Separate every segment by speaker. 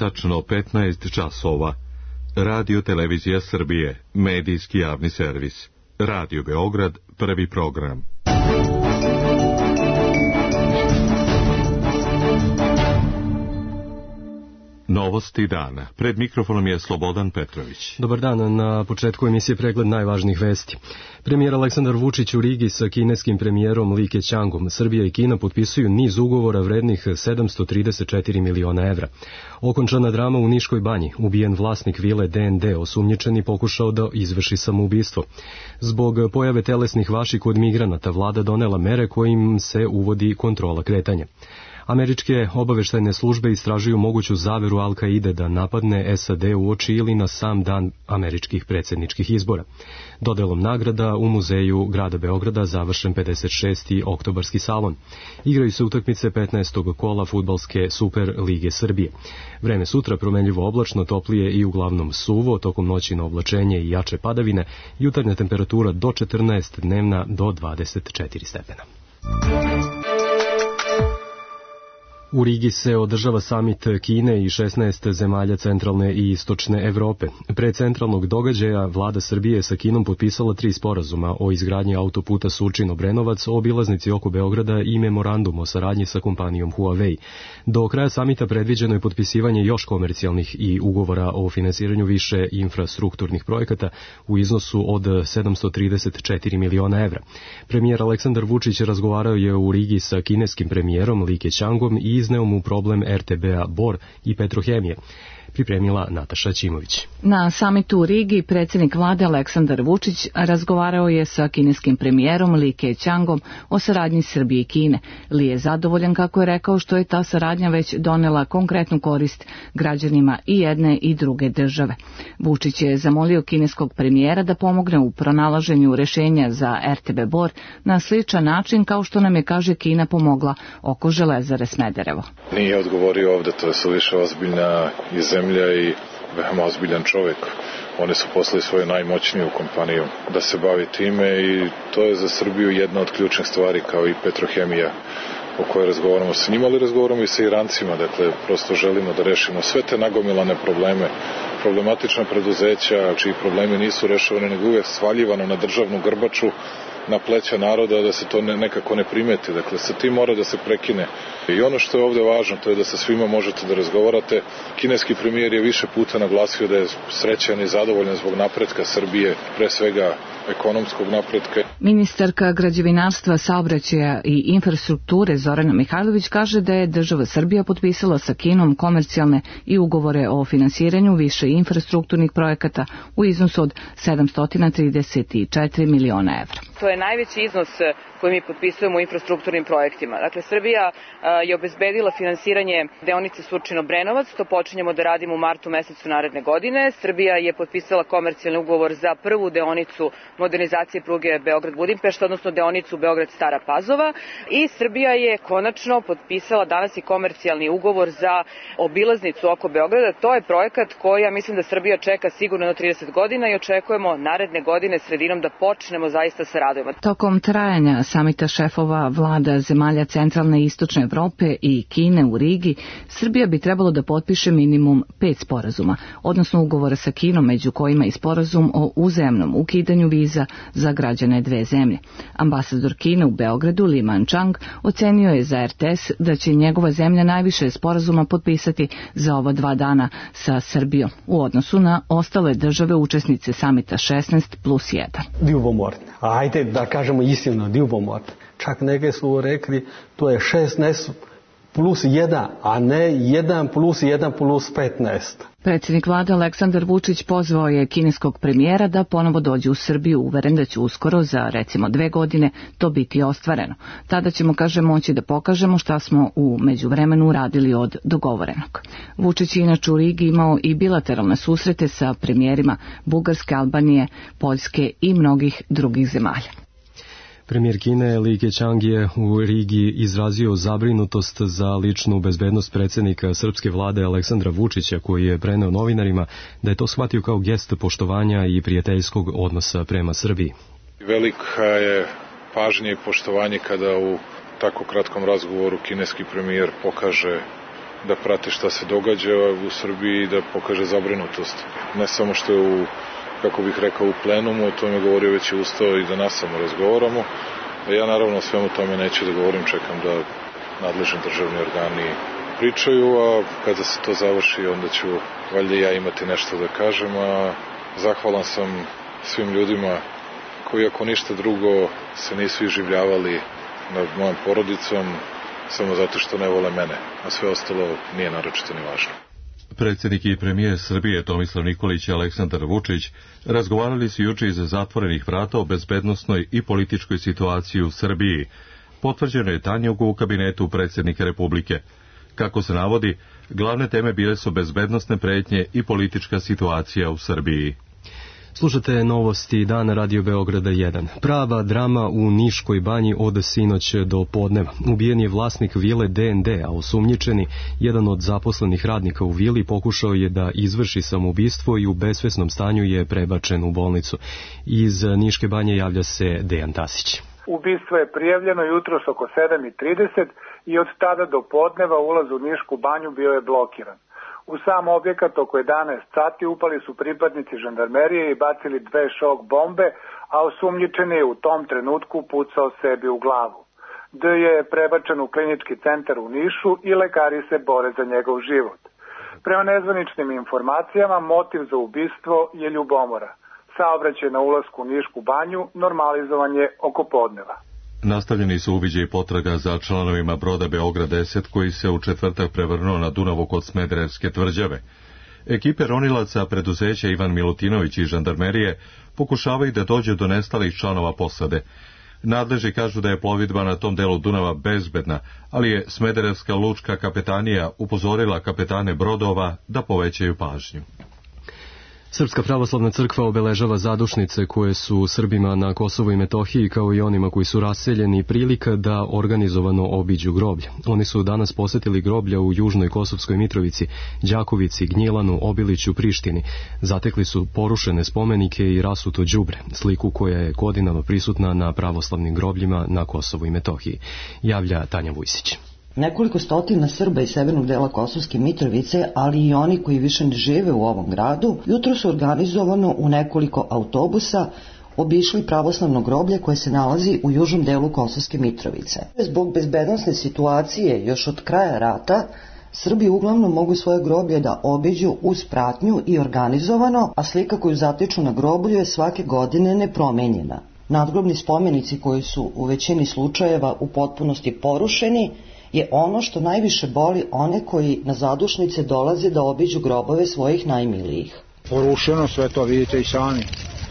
Speaker 1: tačno 15 časova. Radio Televizija Srbije, medijski javni servis. Radio Beograd, prvi program. Novosti dana. Pred mikrofonom je Slobodan Petrović.
Speaker 2: Dobar dan, na početku emisije pregled najvažnijih vesti. Premijer Aleksandar Vučić u Rigi sa kineskim premijerom Li Keqiangom. Srbija i Kina potpisuju niz ugovora vrednih 734 miliona evra. Okončana drama u Niškoj banji. Ubijen vlasnik vile DND, osumnjičeni pokušao da izvrši samoubistvo. Zbog pojave telesnih vaši kod migranata, vlada donela mere kojim se uvodi kontrola kretanja. Američke obaveštajne službe istražuju moguću zaveru Al-Kaide da napadne SAD uoči ili na sam dan američkih predsjedničkih izbora. Dodelom nagrada u muzeju grada Beograda završen 56. oktobarski salon. Igraju se utakmice 15. kola fudbalske Super lige Srbije. Vreme sutra promenljivo oblačno, toplije i uglavnom suvo, tokom noći na oblačenje i jače padavine, jutarnja temperatura do 14, dnevna do 24 stepena. U Rigi se održava samit Kine i 16 zemalja centralne i istočne Evrope. Pre centralnog događaja vlada Srbije sa Kinom potpisala 3 sporazuma o izgradnji autoputa Surčin-Obrenovac, o obilaznici oko Beograda i memorandum o saradnji sa kompanijom Huawei. Do kraja samita predviđeno je potpisivanje još komercijalnih i ugovora o finansiranju više infrastrukturnih projekata u iznosu od 734 miliona evra. Premijer Aleksandar Vučić razgovarao je u Rigi sa kineskim premijerom Li Keqiangom i izneo mu problem RTB-a Bor i Petrohemije. Pripremila Nataša Ćimović.
Speaker 3: Na samitu u Rigi predsjednik vlade Aleksandar Vučić razgovarao je sa kineskim premijerom Li Keqiangom o saradnji Srbije i Kine. Li je zadovoljan, kako je rekao, što je ta saradnja već donela konkretnu korist građanima i jedne i druge države. Vučić je zamolio kineskog premijera da pomogne u pronalaženju rešenja za RTB Bor na sličan način kao što nam je, kaže, Kina pomogla oko železare Smederevo.
Speaker 4: Nije odgovorio ovde, to je suviše ozbiljna i zemlja i veoma ozbiljan čovjek. Oni su poslali svoju najmoćniju kompaniju da se bavi time i to je za Srbiju jedna od ključnih stvari, kao i Petrohemija o kojoj razgovaramo sa njima, ali razgovaramo i sa Irancima. Dakle, prosto želimo da rešimo sve te nagomilane probleme, problematična preduzeća čiji problemi nisu rešavani, nego uvijek svaljivano na državnu grbaču, na pleća naroda, da se to nekako ne primeti. Dakle, sa tim mora da se prekine. I ono što je ovde važno, to je da sa svima možete da razgovarate. Kineski premijer je više puta naglasio da je srećan i zadovoljan zbog napretka Srbije, pre svega ekonomskog napretka.
Speaker 3: Ministarka građevinarstva, saobraćaja i infrastrukture Zorana Mihajlović kaže da je država Srbija potpisala sa Kinom komercijalne i ugovore o finansiranju više infrastrukturnih projekata u iznosu od 734 miliona evra.
Speaker 5: To je najveći iznos koji mi potpisujemo u infrastrukturnim projektima. Dakle, Srbija je obezbedila finansiranje deonice Surčin-Obrenovac, to počinjemo da radimo u martu mesecu naredne godine. Srbija je potpisala komercijalni ugovor za prvu deonicu modernizacije pruge Beograd-Budimpešta, odnosno deonicu Beograd-Stara Pazova, i Srbija je konačno potpisala danas i komercijalni ugovor za obilaznicu oko Beograda. To je projekat koji, ja mislim, da Srbija čeka sigurno na 30 godina i očekujemo naredne godine sredinom da počnemo zaista sa radovima.
Speaker 3: Tokom trajanja samita šefova vlada zemalja centralne i istočne Evrope i Kine u Rigi, Srbija bi trebalo da potpiše minimum 5 sporazuma, odnosno ugovora sa Kinom, među kojima i sporazum o uzajamnom ukidanju viza za građane dve zemlje. Ambasador Kine u Beogradu, Li Manchang, ocenio je za RTS da će njegova zemlja najviše sporazuma potpisati za ova 2 dana sa Srbijom u odnosu na ostale države učesnice samita 16+1.
Speaker 6: Ljubomorni. Ajde da kažemo istinu, ljubomorni. Čak neke su rekli to je 16+1, a ne 1+1+15.
Speaker 3: Predsjednik vlade Aleksandar Vučić pozvao je kineskog premijera da ponovo dođe u Srbiju, uveren da će uskoro, za recimo 2 godine, to biti ostvareno. Tada ćemo, kaže, moći da pokažemo šta smo u međuvremenu uradili od dogovorenog. Vučić je inače u Rigi imao i bilateralne susrete sa premijerima Bugarske, Albanije, Poljske i mnogih drugih zemalja.
Speaker 2: Premijer Kine Li Keqiang je u Rigi izrazio zabrinutost za ličnu bezbednost predsjednika srpske vlade Aleksandra Vučića, koji je preneo novinarima da je to shvatio kao gest poštovanja i prijateljskog odnosa prema Srbiji.
Speaker 4: Velika je pažnja i poštovanje kada u tako kratkom razgovoru kineski premijer pokaže da prati šta se događa u Srbiji i da pokaže zabrinutost. Ne samo što je u plenumu, o tome govorio već i ustao i da nas samo razgovaramo. A ja naravno o svemu tome neću da govorim, čekam da nadležni državni organi pričaju, a kada se to završi onda ću valjda ja imati nešto da kažem, a zahvalan sam svim ljudima koji ako ništa drugo se nisu iživljavali nad mojom porodicom samo zato što ne vole mene, a sve ostalo nije naročito ni važno.
Speaker 1: Predsjednik i premijer Srbije Tomislav Nikolić i Aleksandar Vučić razgovarali su juče iza zatvorenih vrata o bezbednosnoj i političkoj situaciji u Srbiji. Potvrđeno je tanjugu u kabinetu predsjednika Republike. Kako se navodi, glavne teme bile su bezbednosne pretnje i politička situacija u Srbiji.
Speaker 2: Slušate novosti Dana Radio Beograda 1. Prava drama u Niškoj banji od sinoć do podneva. Ubijen je vlasnik vile DND, a osumnjičeni, jedan od zaposlenih radnika u vili, pokušao je da izvrši samoubistvo i u besvesnom stanju je prebačen u bolnicu. Iz Niške banje javlja se Dejan Tasić.
Speaker 7: Ubistvo je prijavljeno jutros oko 7:30 i od tada do podneva ulaz u Nišku banju bio je blokiran. U sam objekat oko 11 sati upali su pripadnici žandarmerije i bacili 2 šok bombe, a osumnjičeni je u tom trenutku pucao sebi u glavu. D je prebačen u klinički centar u Nišu i lekari se bore za njegov život. Prema nezvaničnim informacijama, motiv za ubistvo je ljubomora. Saobraćaj na ulasku u Nišku banju normalizovan je oko podneva.
Speaker 1: Nastavljeni su uviđaji potraga za članovima broda Beograd 10 koji se u četvrtak prevrnuo na Dunavu kod Smederevske tvrđave. Ekipe ronilaca preduzeća Ivan Milutinović i žandarmerije pokušavaju da dođe do nestalih članova posade. Nadležni kažu da je plovidba na tom delu Dunava bezbedna, ali je Smederevska lučka kapetanija upozorila kapetane brodova da povećaju pažnju.
Speaker 2: Srpska pravoslavna crkva obeležava zadušnice koje su Srbima na Kosovu i Metohiji, kao i onima koji su raseljeni, prilika da organizovano obiđu groblje. Oni su danas posetili groblja u Južnoj Kosovskoj Mitrovici, Đakovici, Gnjilanu, Obiliću, Prištini. Zatekli su porušene spomenike i rasuto đubre, sliku koja je godinama prisutna na pravoslavnim grobljima na Kosovu i Metohiji, javlja Tanja Vujsić.
Speaker 8: Nekoliko stotina Srba iz severnog dela Kosovske Mitrovice, ali i oni koji više ne žive u ovom gradu, jutro su organizovano u nekoliko autobusa obišli pravoslavno groblje koje se nalazi u južnom delu Kosovske Mitrovice. Zbog bezbednosne situacije još od kraja rata, Srbi uglavnom mogu svoje groblje da obiđu uz pratnju i organizovano, a slika koju zatiču na groblju je svake godine nepromenjena. Nadgrobni spomenici koji su u većini slučajeva u potpunosti porušeni je ono što najviše boli one koji na zadušnice dolaze da obiđu grobove svojih najmilijih.
Speaker 9: Porušeno sve to, vidite i sami,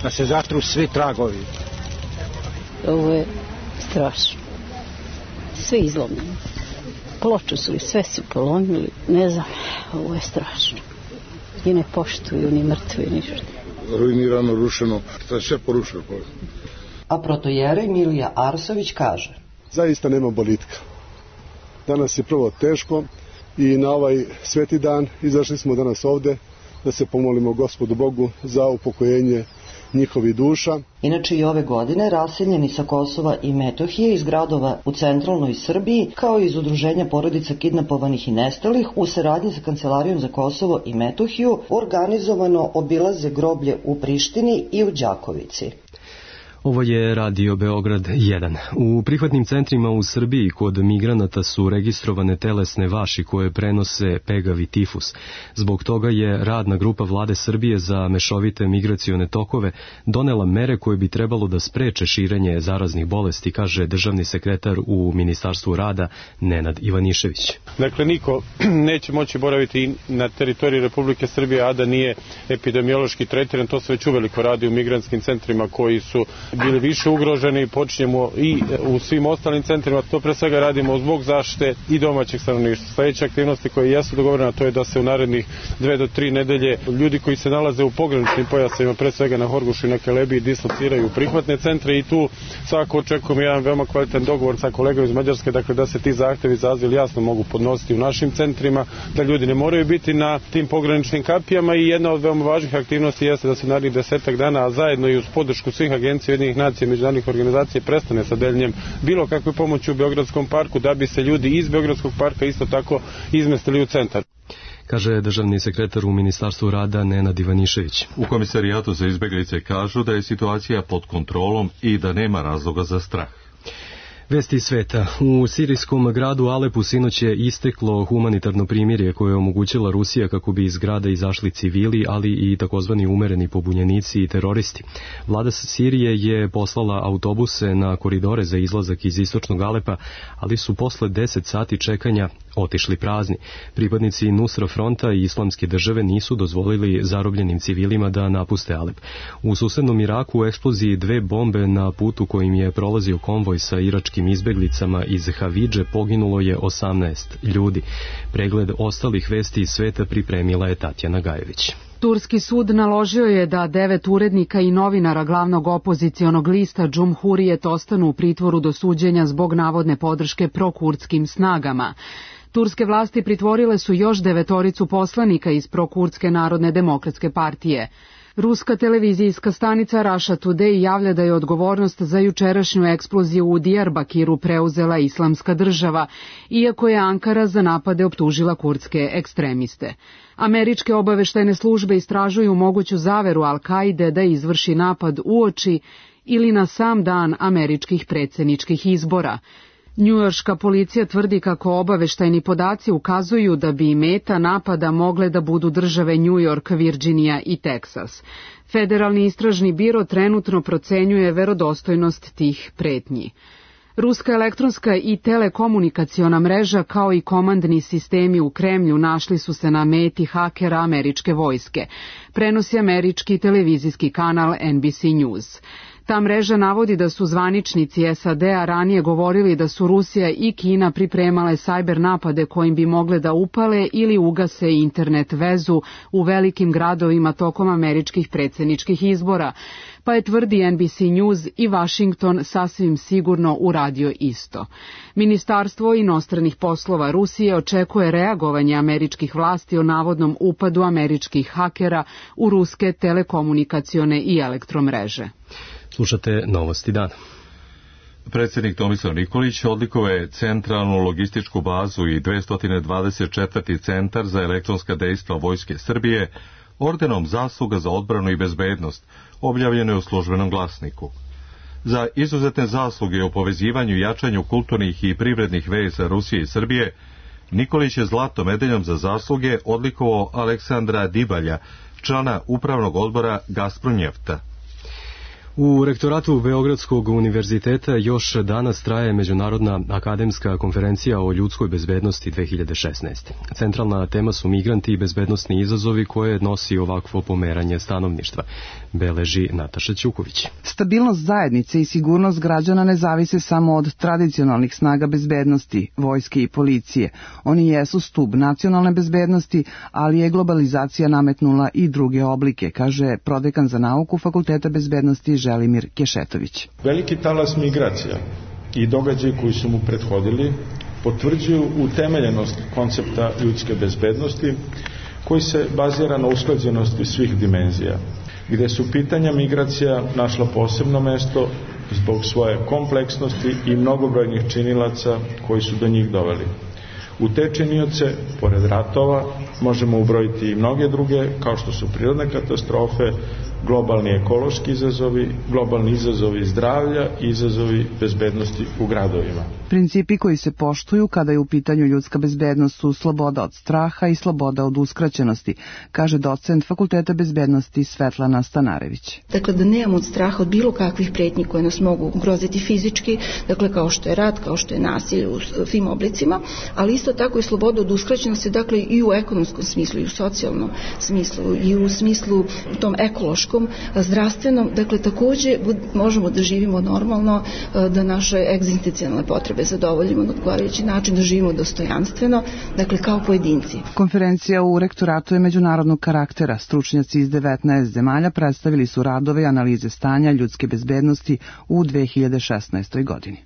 Speaker 9: da se zatru svi tragovi.
Speaker 10: Ovo je strašno. Sve izlomljeno. Ploču su i sve su polomili, ne znam, ovo je strašno. I ne poštuju ni mrtvi, ništa.
Speaker 11: Ruinirano, rušeno, sve porušeno.
Speaker 8: A protojerej Milija Arsović kaže:
Speaker 11: zaista nema boljitka. Danas je prvo teško i na ovaj sveti dan izašli smo danas ovde da se pomolimo Gospodu Bogu za upokojenje njihovih duša.
Speaker 8: Inače i ove godine raseljeni sa Kosova i Metohije iz gradova u centralnoj Srbiji, kao i iz udruženja porodica kidnapovanih i nestalih, u saradnji sa Kancelarijom za Kosovo i Metohiju organizovano obilaze groblje u Prištini i u Đakovici.
Speaker 2: Ovo je Radio Beograd 1. U prihvatnim centrima u Srbiji kod migranata su registrovane telesne vaši koje prenose pegavi tifus. Zbog toga je radna grupa Vlade Srbije za mešovite migracione tokove donela mere koje bi trebalo da spreče širenje zaraznih bolesti, kaže državni sekretar u Ministarstvu rada Nenad Ivanišević.
Speaker 12: Dakle, niko neće moći boraviti na teritoriji Republike Srbije, a da nije epidemiološki tretiran. To se već uveliko radi u migrantskim centrima koji su bili više ugroženi, počinjemo i u svim ostalim centrima. To pre svega radimo zbog zaštite i domaćeg stanovništva. Sledeće aktivnosti koje jesu dogovorene, to je da se u narednih 2 do 3 nedelje ljudi koji se nalaze u pograničnim pojasevima, pre svega na Horgošu i na Kelebiji, dislociraju u prihvatne centre i tu svako očekujemo jedan veoma kvalitetan dogovor sa kolegom iz Mađarske, dakle da se ti zahtevi za azil jasno mogu podnositi u našim centrima, da ljudi ne moraju biti na tim pograničnim kapijama. I jedna od veoma važnih aktivnosti jeste da se narednih 10 dana, a zajedno i uz podršku svih agencija Ujedinjenih nacija i međunarodnih organizacija prestane sa deljenjem bilo kakve pomoći u Beogradskom parku, da bi se ljudi iz Beogradskog parka isto tako izmestili u centar,
Speaker 2: kaže državni sekretar u Ministarstvu rada Nenad Ivanišević.
Speaker 1: U Komisarijatu za izbeglice kažu da je situacija pod kontrolom i da nema razloga za strah.
Speaker 2: Vesti sveta. U sirijskom gradu Alepu sinoć je isteklo humanitarno primirje koje je omogućila Rusija kako bi iz grada izašli civili, ali i takozvani umereni pobunjenici i teroristi. Vlada Sirije je poslala autobuse na koridore za izlazak iz istočnog Alepa, ali su posle 10 sati čekanja otišli prazni. Pripadnici Nusra fronta i Islamske države nisu dozvolili zarobljenim civilima da napuste Alep. U susednom Iraku u eksploziji 2 bombe na putu kojim je prolazio konvoj sa iračkim izbeglicama iz Havidže poginulo je 18 ljudi. Pregled ostalih vesti iz sveta pripremila je Tatjana Gajević.
Speaker 13: Turski sud naložio je da 9 urednika i novinara glavnog opozicionog lista Džumhurijet ostanu u pritvoru do suđenja zbog navodne podrške prokurdskim snagama. Turske vlasti pritvorile su još 9 poslanika iz prokurdske Narodne demokratske partije. Ruska televizijska stanica Russia Today javlja da je odgovornost za jučerašnju eksploziju u Diyarbakiru preuzela Islamska država, iako je Ankara za napade optužila kurdske ekstremiste. Američke obaveštajne službe istražuju moguću zaveru Al-Kaide da izvrši napad uoči ili na sam dan američkih predsjedničkih izbora. Njujorška policija tvrdi kako obaveštajni podaci ukazuju da bi meta napada mogle da budu države New York, Virginija i Teksas. Federalni istražni biro trenutno procenjuje verodostojnost tih pretnji. Ruska elektronska i telekomunikaciona mreža kao i komandni sistemi u Kremlju našli su se na meti hakera američke vojske, prenosi američki televizijski kanal NBC News. Ta mreža navodi da su zvaničnici SAD-a ranije govorili da su Rusija i Kina pripremale sajber napade kojim bi mogle da upale ili ugase internet vezu u velikim gradovima tokom američkih predsjedničkih izbora, pa je, tvrdi NBC News, i Washington sasvim sigurno uradio isto. Ministarstvo inostranih poslova Rusije očekuje reagovanje američkih vlasti o navodnom upadu američkih hakera u ruske telekomunikacione i elektromreže.
Speaker 2: Slušate Novosti dana.
Speaker 1: Predsjednik Tomislav Nikolić odlikovao je centralnu logističku bazu i 224. centar za elektronska dejstva Vojske Srbije ordenom zasluga za odbranu i bezbednost, objavljeno je u Službenom glasniku. Za izuzetne zasluge u povezivanju i jačanju kulturnih i privrednih veza Rusije i Srbije, Nikolić je zlatnom medaljom za zasluge odlikovao Aleksandra Dibalja, člana upravnog odbora Gazpromnjefta.
Speaker 2: U rektoratu Beogradskog univerziteta još danas traje Međunarodna akademska konferencija o ljudskoj bezbednosti 2016. Centralna tema su migranti i bezbednosni izazovi koje nosi ovakvo pomeranje stanovništva, beleži Nataša Ćuković.
Speaker 14: Stabilnost zajednice i sigurnost građana ne zavise samo od tradicionalnih snaga bezbednosti, vojske i policije. Oni jesu stub nacionalne bezbednosti, ali je globalizacija nametnula i druge oblike, kaže prodekan za nauku Fakulteta bezbednosti Želimir Kešetović.
Speaker 15: Veliki talas migracija i događaji koji su mu prethodili potvrđuju utemeljenost koncepta ljudske bezbednosti koji se bazira na usklađenosti svih dimenzija, gde su pitanja migracija našla posebno mesto zbog svoje kompleksnosti i mnogobrojnih činilaca koji su do njih doveli. U te činioce, pored ratova, možemo ubrojiti i mnoge druge, kao što su prirodne katastrofe, globalni ekološki izazovi, globalni izazovi zdravlja i izazovi bezbednosti u gradovima.
Speaker 14: Principi koji se poštuju kada je u pitanju ljudska bezbednost su sloboda od straha i sloboda od uskraćenosti, kaže docent Fakulteta bezbednosti Svetlana Stanarević.
Speaker 16: Dakle, da nemamo od straha od bilo kakvih pretnji koje nas mogu ugroziti fizički, dakle kao što je rat, kao što je nasilje u svim oblicima, ali isto tako i sloboda od uskraćenosti, dakle i u ekonomskom smislu, i u socijalnom smislu, i u smislu tom ekološkom, zdravstvenom, dakle takođe možemo da živimo normalno, da naše egzistencijalne potrebe zadovoljimo na odgovarajući način, da živimo dostojanstveno, dakle kao pojedinci.
Speaker 14: Konferencija u rektoratu je međunarodnog karaktera. Stručnjaci iz 19 zemalja predstavili su radove i analize stanja ljudske bezbednosti u 2016. godini.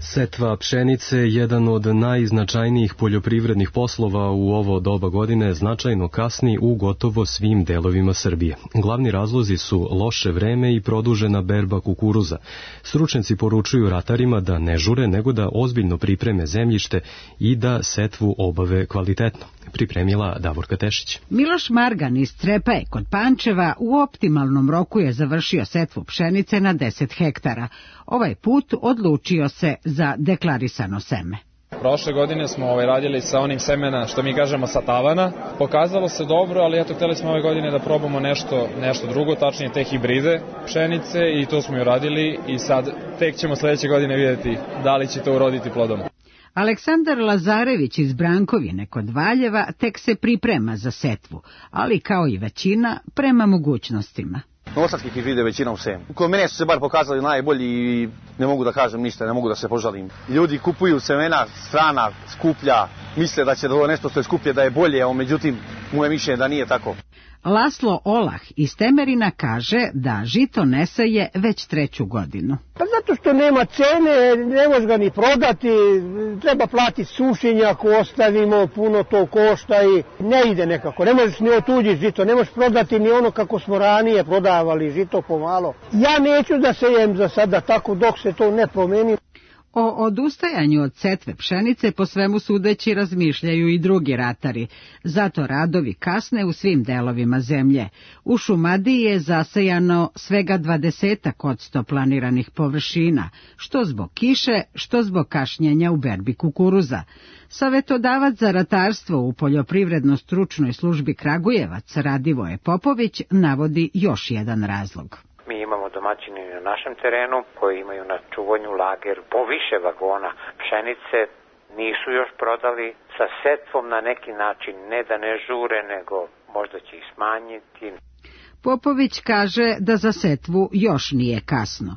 Speaker 2: Setva pšenice, jedan od najznačajnijih poljoprivrednih poslova u ovo doba godine, značajno kasni u gotovo svim delovima Srbije. Glavni razlozi su loše vreme i produžena berba kukuruza. Stručnjaci poručuju ratarima da ne žure, nego da ozbiljno pripreme zemljište i da setvu obave kvalitetno. Pripremila Davorka Tešić.
Speaker 17: Miloš Margan iz Crepaje kod Pančeva u optimalnom roku je završio setvu pšenice na 10 hektara. Ovaj put odlučio se za deklarisano seme.
Speaker 18: Prošle godine smo radili sa onim semena, što mi kažemo sa tavana. Pokazalo se dobro, ali eto, hteli smo ove godine da probamo nešto drugo, tačnije te hibride pšenice, i to smo i uradili i sad tek ćemo sledeće godine vidjeti da li će to uroditi plodom.
Speaker 17: Aleksandar Lazarević iz Brankovine kod Valjeva tek se priprema za setvu, ali kao i većina prema mogućnostima.
Speaker 19: Novosadskih hibride većina u semu. Kod mene su se bar pokazali najbolji i ne mogu da kažem ništa, ne mogu da se požalim. Ljudi kupuju semena strana, skuplja, misle da će da nešto što je skuplje da je bolje, a međutim moje mišljenje da nije tako.
Speaker 17: Laslo Olah iz Temerina kaže da žito ne seje već 3. godinu.
Speaker 20: Pa zato što nema cene, ne može ga ni prodati, treba platiti sušenje ako ostavimo, puno to košta i ne ide nekako. Ne možeš ni otuđiti žito, ne možeš prodati ni ono kako smo ranije prodavali žito pomalo. Ja neću da sejem za sada tako dok se to ne promeni.
Speaker 17: O odustajanju od setve pšenice po svemu sudeći razmišljaju i drugi ratari. Zato radovi kasne u svim delovima zemlje. U Šumadiji je zasejano svega 20% planiranih površina, što zbog kiše, što zbog kašnjenja u berbi kukuruza. Savetodavac za ratarstvo u Poljoprivredno-stručnoj službi Kragujevac Radivoje Popović navodi još jedan razlog.
Speaker 21: Mi imamo domaćine na našem terenu koji imaju na čuvanju lager po više vagona pšenice, nisu još prodali, sa setvom na neki način, ne da ne žure, nego možda će ih smanjiti.
Speaker 17: Popović kaže da za setvu još nije kasno.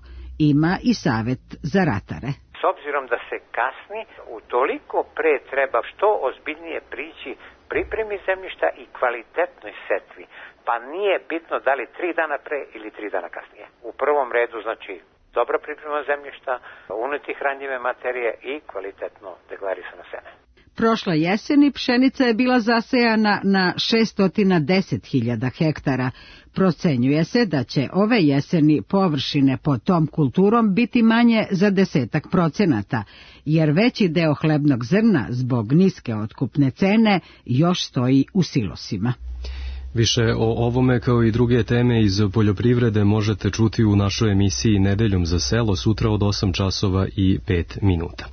Speaker 17: Ima i savet za ratare.
Speaker 21: S obzirom da se kasni, utoliko pre treba što ozbiljnije prići pripremi zemljišta i kvalitetnoj setvi. Pa nije bitno da li 3 dana pre ili 3 dana kasnije. U prvom redu, znači, dobra priprema zemljišta, uneti hranjive materije i kvalitetno deklarisano seme.
Speaker 17: Prošle jeseni pšenica je bila zasejana na 610.000 hektara. Procenjuje se da će ove jeseni površine pod tom kulturom biti manje za 10%, jer veći deo hlebnog zrna zbog niske otkupne cene još stoji u silosima.
Speaker 2: Više o ovome kao i druge teme iz poljoprivrede možete čuti u našoj emisiji Nedeljom za selo sutra od 8 časova i 5 minuta.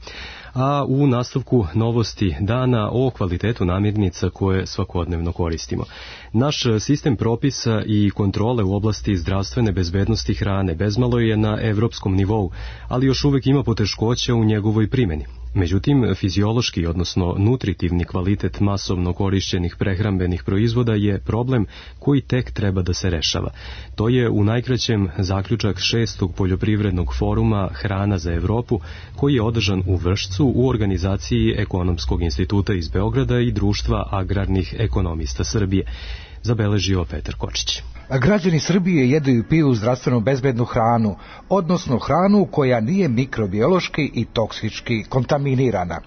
Speaker 2: A u nastavku novosti dana o kvalitetu namirnica koje svakodnevno koristimo. Naš sistem propisa i kontrole u oblasti zdravstvene bezbednosti hrane bezmalo je na evropskom nivou, ali još uvek ima poteškoća u njegovoj primjeni. Međutim, fiziološki, odnosno nutritivni kvalitet masovno korišćenih prehrambenih proizvoda je problem koji tek treba da se rešava. To je u najkraćem zaključak 6. poljoprivrednog foruma Hrana za Evropu, koji je održan u Vršcu u organizaciji Ekonomskog instituta iz Beograda i Društva agrarnih ekonomista Srbije. Zabeležio Petar Kočić.
Speaker 22: Građani Srbije jedu i piju zdravstveno bezbednu hranu, odnosno hranu koja nije mikrobiološki i toksički kontaminirana.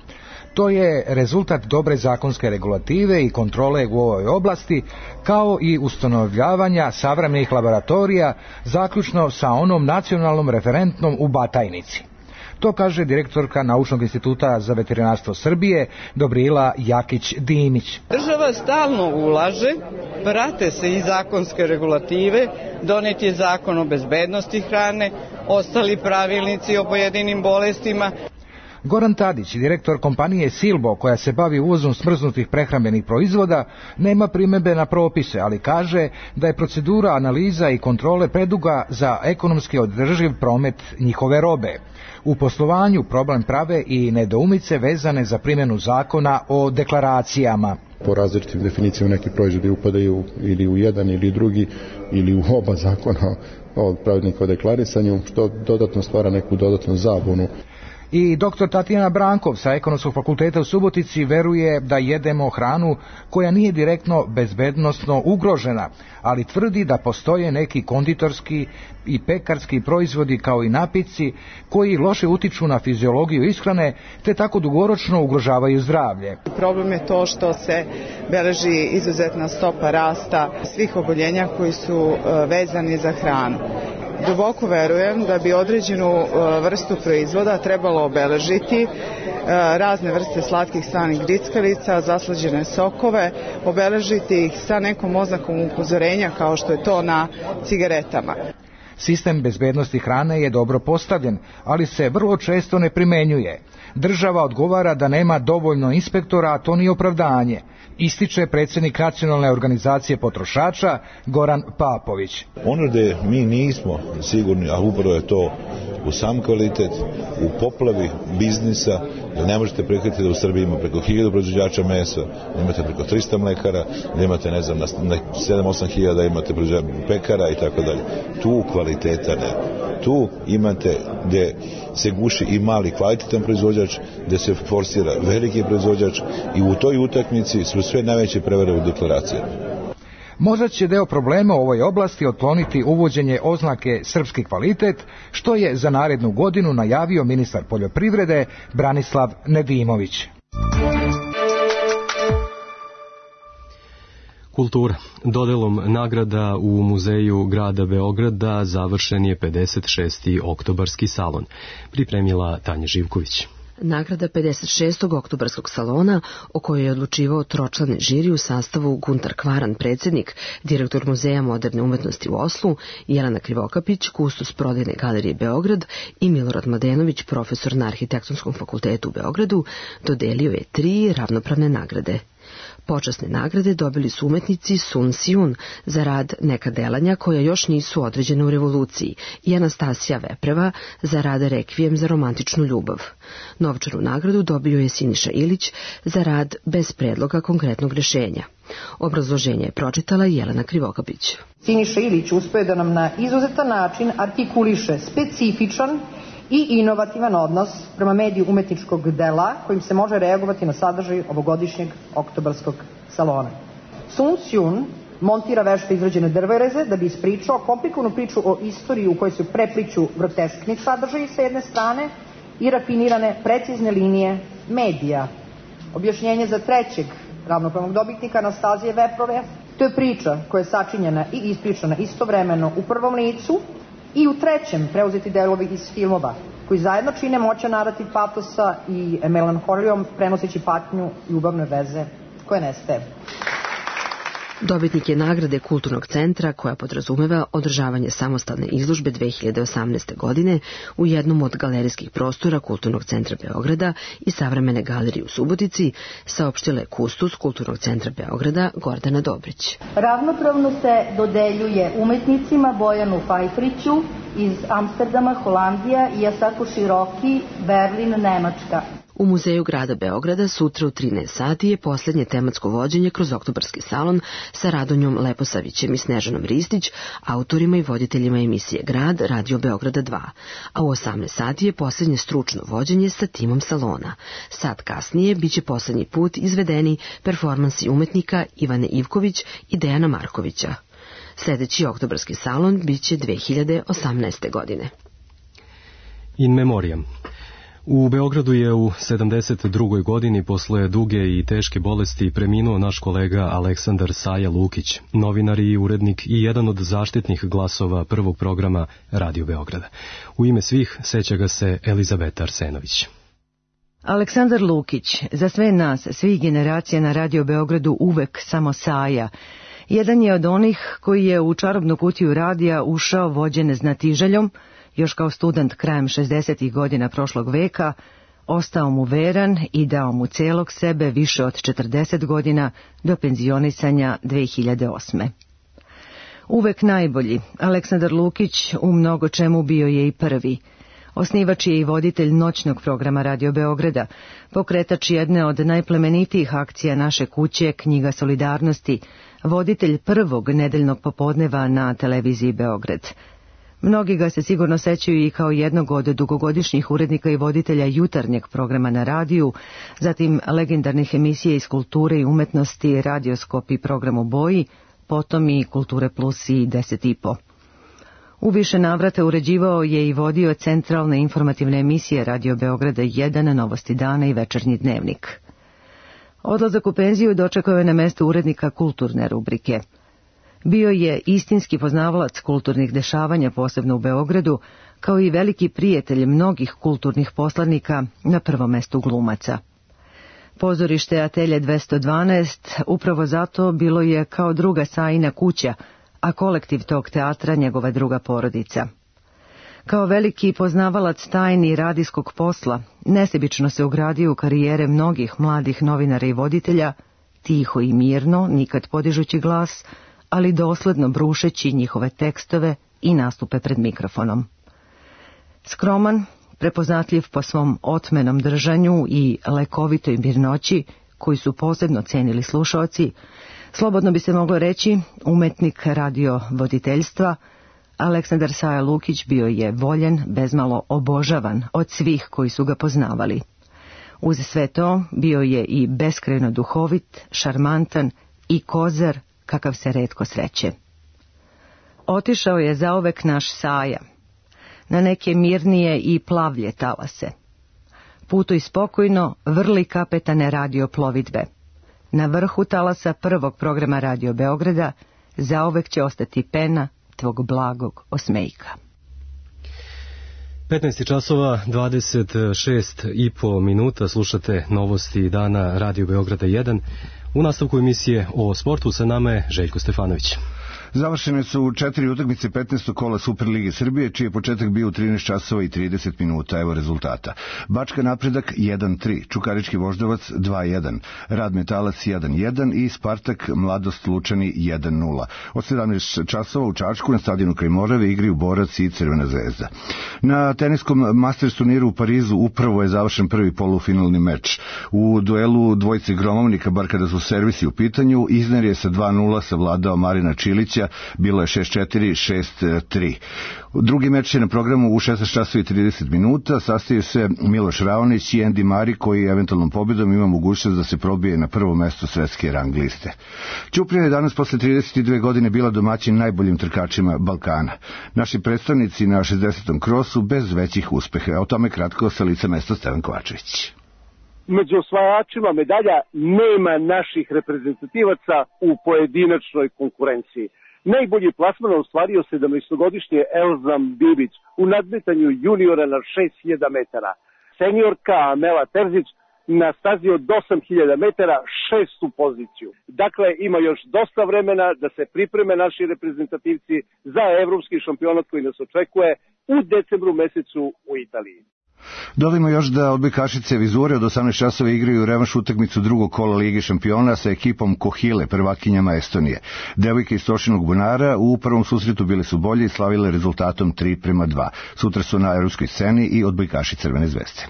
Speaker 22: To je rezultat dobre zakonske regulative i kontrole u ovoj oblasti, kao i ustanovljavanja savremenih laboratorija, zaključno sa onom nacionalnom referentnom u Batajnici. To kaže direktorka Naučnog instituta za veterinarstvo Srbije, Dobrila Jakić-Dimić.
Speaker 23: Država stalno ulaže, prate se i zakonske regulative, donet je zakon o bezbednosti hrane, ostali pravilnici o pojedinim bolestima.
Speaker 22: Goran Tadić, direktor kompanije Silbo, koja se bavi uvozom smrznutih prehrambenih proizvoda, nema primedbe na propise, ali kaže da je procedura analiza i kontrole preduga za ekonomski održiv promet njihove robe. U poslovanju problem prave i nedoumice vezane za primjenu zakona o deklaracijama.
Speaker 24: Po različitim definicijama neki proizvodi upadaju ili u jedan ili drugi ili u oba zakona o pravilnika o deklarisanju, što dodatno stvara neku dodatnu zabunu.
Speaker 22: I dr. Tatjana Brankov sa Ekonomskog fakulteta u Subotici veruje da jedemo hranu koja nije direktno bezbednosno ugrožena, ali tvrdi da postoje neki konditorski i pekarski proizvodi kao i napici koji loše utiču na fiziologiju ishrane te tako dugoročno ugrožavaju zdravlje.
Speaker 3: Problem je to što se beleži izuzetna stopa rasta svih oboljenja koji su vezani za hranu. Duboko verujem da bi određenu vrstu proizvoda trebalo obeležiti, razne vrste slatkih slanih grickalica, zaslađene sokove, obeležiti ih sa nekom oznakom upozorenja kao što je to na cigaretama.
Speaker 22: Sistem bezbednosti hrane je dobro postavljen, ali se vrlo često ne primenjuje. Država odgovara da nema dovoljno inspektora, a to nije opravdanje, ističe predsjednik Nacionalne organizacije potrošača Goran Papović.
Speaker 4: Ono gdje mi nismo sigurni, a upravo je to u sam kvalitet, u poplavi biznisa, jer ne možete prihvatiti da u Srbiji ima preko 1000 proizvođača mesa, da imate preko 300 mlekara, da imate, ne znam, na 7-8 hiljada imate pekara i tako dalje. Tu kvaliteta ne. Tu imate gdje se guši i mali kvalitetan proizvođač, gdje se forsira veliki proizvođač i u toj utakmici su sve najveće prevare u deklaracijama.
Speaker 22: Možda će deo problema u ovoj oblasti otkloniti uvođenje oznake srpski kvalitet, što je za narednu godinu najavio ministar poljoprivrede Branislav Nedimović.
Speaker 2: Kultura. Dodelom nagrada u Muzeju grada Beograda završen je 56. oktobarski salon. Pripremila Tanja Živković.
Speaker 5: Nagrada 56. oktobarskog salona, o kojoj je odlučivao tročlani žiri u sastavu Guntar Kvaran, predsjednik, direktor Muzeja moderne umetnosti u Oslu, Jelena Krivokapić, kustos prodajne galerije Beograd i Milorad Mladenović, profesor na Arhitektonskom fakultetu u Beogradu, dodelio je 3 ravnopravne nagrade. Počasne nagrade dobili su umetnici Sun Sijun za rad Neka delanja koja još nisu određene u revoluciji i Anastasija Vepreva za rad Rekvijem za romantičnu ljubav. Novčanu nagradu dobio je Siniša Ilić za rad Bez predloga konkretnog rješenja. Obrazloženje je pročitala Jelena Krivokapić.
Speaker 6: Siniša Ilić uspeo da nam na izuzetan način artikuliše specifičan i inovativan odnos prema mediju umetničkog dela kojim se može reagovati na sadržaj ovogodišnjeg oktobarskog salona. Sun Sijun montira vešto izrađene drvoreze da bi ispričao komplikovanu priču o istoriji u kojoj se prepliću groteskni sadržaji sa jedne strane i rafinirane precizne linije medija. Objašnjenje za trećeg ravnopravnog dobitnika Anastazije Veprove, to je priča koja je sačinjena i ispričana istovremeno u prvom licu i u trećem preuzeti delovi iz filmova, koji zajedno čine moćan narativ patosa i melanholijom prenoseći patnju ljubavne veze koje nestaje.
Speaker 5: Dobitnik je nagrade Kulturnog centra koja podrazumeva održavanje samostalne izložbe 2018. godine u jednom od galerijskih prostora Kulturnog centra Beograda i Savremene galerije u Subotici, saopštila je kustos Kulturnog centra Beograda Gordana Dobrić.
Speaker 25: Ravnopravno se dodeljuje umetnicima Bojanu Fajfriću iz Amsterdama, Holandija i Asaku Široki, Berlin, Nemačka.
Speaker 5: U Muzeju grada Beograda sutra u 13 sati je posljednje tematsko vođenje kroz oktobarski salon sa Radonjom Leposavićem i Snežanom Ristić, autorima i voditeljima emisije Grad Radio Beograda 2, a u 18 sati je posljednje stručno vođenje sa timom salona. Sat kasnije biće posljednji put izvedeni performansi umetnika Ivane Ivković i Dejana Markovića. Sljedeći oktobarski salon biće 2018. godine.
Speaker 2: In memoriam. U Beogradu je u 72. godini posle duge i teške bolesti preminuo naš kolega Aleksandar Saja Lukić, novinar i urednik i jedan od zaštitnih glasova prvog programa Radio Beograda. U ime svih seća ga se Elizabeta Arsenović.
Speaker 26: Aleksandar Lukić, za sve nas, svih generacija na Radio Beogradu uvek samo Saja. Jedan je od onih koji je u čarobnu kutiju radija ušao vođen znatiželjom, još kao student krajem 60. godina prošlog veka, ostao mu veran i dao mu celog sebe više od 40 godina do penzionisanja 2008. Uvek najbolji, Aleksandar Lukić u mnogo čemu bio je i prvi. Osnivač je i voditelj noćnog programa Radio Beograda, pokretač jedne od najplemenitijih akcija naše kuće, Knjiga solidarnosti, voditelj prvog nedeljnog popodneva na televiziji Beograd. Mnogi ga se sigurno sećaju i kao jednog od dugogodišnjih urednika i voditelja jutarnjeg programa na radiju, zatim legendarnih emisija iz kulture i umetnosti, Radioskop i program u boji, potom i Kulture plus i 10,5. U više navrata uređivao je i vodio centralne informativne emisije Radio Beograda 1, Novosti dana i Večernji dnevnik. Odlazak u penziju dočekao je na mesto urednika kulturne rubrike. Bio je istinski poznavalac kulturnih dešavanja, posebno u Beogradu, kao i veliki prijatelj mnogih kulturnih poslanika, na prvom mestu glumaca. Pozorište Atelje 212 upravo zato bilo je kao druga Sajina kuća, a kolektiv tog teatra njegova druga porodica. Kao veliki poznavalac tajni radijskog posla, nesebično se ugradio u karijere mnogih mladih novinara i voditelja, tiho i mirno, nikad podižući glas, ali dosledno brušeći njihove tekstove i nastupe pred mikrofonom. Skroman, prepoznatljiv po svom otmenom držanju i lekovitoj mirnoći, koji su posebno cenili slušaoci, slobodno bi se moglo reći umetnik radiovoditeljstva, Aleksandar Saja Lukić bio je voljen, bezmalo obožavan od svih koji su ga poznavali. Uz sve to bio je i beskrajno duhovit, šarmantan i kozar kakav se retko sreće. Otišao je zauvek naš Saja, na neke mirnije i plavlje talase. Putuj spokojno, vrli kapetane radio plovidbe. Na vrhu talasa prvog programa Radio Beograda zauvek će ostati pena tvog blagog osmejka.
Speaker 2: 15 časova 26,5 minuta, slušate Novosti dana Radio Beograda 1. U nastavku emisije o sportu sa nama je Željko Stefanović.
Speaker 7: Završene su 4 utakmice 15. kola Superlige Srbije, čiji je početak bio u 13 časova i 30 minuta. Evo rezultata. Bačka Napredak 1-3, Čukarički Voždovac 2-1, Rad Metalac 1-1 i Spartak Mladost Lučani 1-0. Od 17 časova u Čačku na stadionu kraj Morave igraju Borac i Crvena zvezda. Na teniskom Masters turniru u Parizu upravo je završen prvi polufinalni meč. U duelu dvojice gromovnika, bar kada su servisi u pitanju, Izner je sa 2-0 savladao Marina Čilića, bilo je 6-4, 6-3. Drugi meč je na programu u 16 časova i 30 minuta. Sastaju se Miloš Raonić i Andy Murray, koji eventualnom pobjedom ima mogućnost da se probije na prvo mesto svetske rang liste. Ćuprija je danas posle 32 godine bila domaćin najboljim trkačima Balkana. Naši predstavnici na 60. krosu bez većih uspeha. O tome kratko sa lica mesta Stevan Kovačević.
Speaker 8: Među osvajačima medalja nema naših reprezentativaca u pojedinačnoj konkurenciji. Najbolji plasman ostvario 17-godišnji Elzam Bibić u nadmetanju juniora na 6000 metara. Seniorka Amela Terzić na stazi od 8000 metara 6. poziciju. Dakle, ima još dosta vremena da se pripreme naši reprezentativci za evropski šampionat koji nas očekuje u decembru mesecu u Italiji.
Speaker 7: Dodajmo još da odbojkašice Vizure od 18 časova igraju revanš utakmicu drugog kola Lige šampiona sa ekipom Kohile, prvakinjama Estonije. Devojke iz Tošinog bunara u prvom susretu bile su bolje i slavile rezultatom 3-2. Sutra su na evropskoj sceni i odbojkaši Crvene zvezde.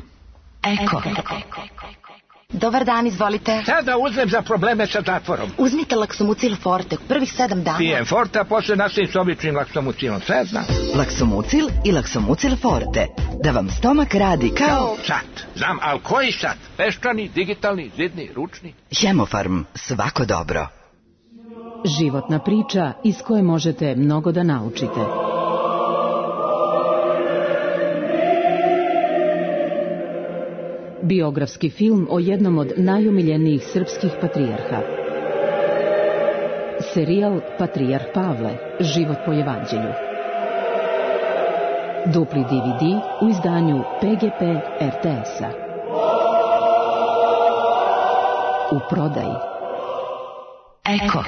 Speaker 9: Eko. Dobar dan, izvolite.
Speaker 10: Šta da uzmem za probleme sa zatvorom?
Speaker 9: Uzmite Laksomucil Forte, prvih 7 dana.
Speaker 10: Pijem Forte, a posle nastavim s običnim Laksomucilom, sve znam.
Speaker 9: Laksomucil i Laksomucil Forte, da vam stomak radi kao...
Speaker 10: Sat, znam, ali koji sat? Peščani, digitalni, zidni, ručni?
Speaker 9: Hemofarm, svako dobro.
Speaker 13: Životna priča iz koje možete mnogo da naučite. Biografski film o jednom od najomiljenijih srpskih patrijarha. Serijal Patrijarh Pavle, život po evanđelju. Dupli DVD u izdanju PGP RTS-a. U prodaji.
Speaker 9: Eko.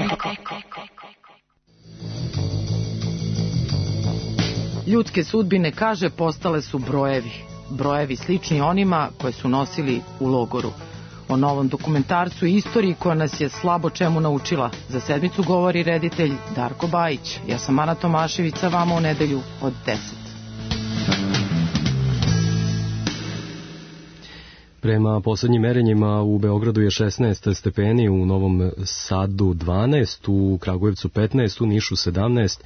Speaker 11: Ljudske sudbine, kaže, postale su brojevi. Brojevi slični onima koje su nosili u logoru. O novom dokumentarcu i istoriji koja nas je slabo čemu naučila. Za sedmicu govori reditelj Darko Bajić. Ja sam Ana Tomašević, sa vama u nedelju od 10.
Speaker 2: Prema poslednjim merenjima u Beogradu je 16 stepeni, u Novom Sadu 12, u Kragujevcu 15, u Nišu 17,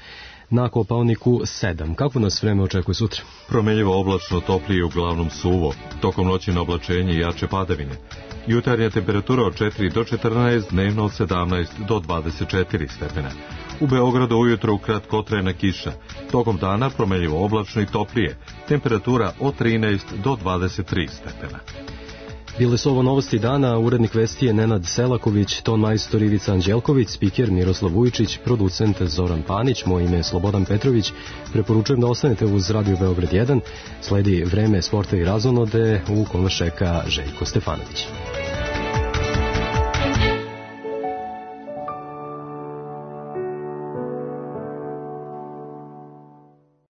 Speaker 2: na Kopaoniku 7. Kako nas vreme očekuje sutra?
Speaker 1: Promenljivo oblačno, toplije, uglavnom suvo. Tokom noći na oblačenje i jače padavine. Jutarnja temperatura od 4 do 14, dnevno od 17 do 24 stepena. U Beogradu ujutro kratkotrajna kiša. Tokom dana promenljivo oblačno i toplije. Temperatura od 13 do 23 stepena.
Speaker 2: Bile su ovo novosti dana, urednik vesti je Nenad Selaković, ton majstor Ivica Anđelković, spiker Miroslav Vujčić, producent Zoran Panić, moje ime je Slobodan Petrović. Preporučujem da ostanete uz Radio Beograd 1. Sledi vreme sporta i razonode u kome šeka Željko Stefanović.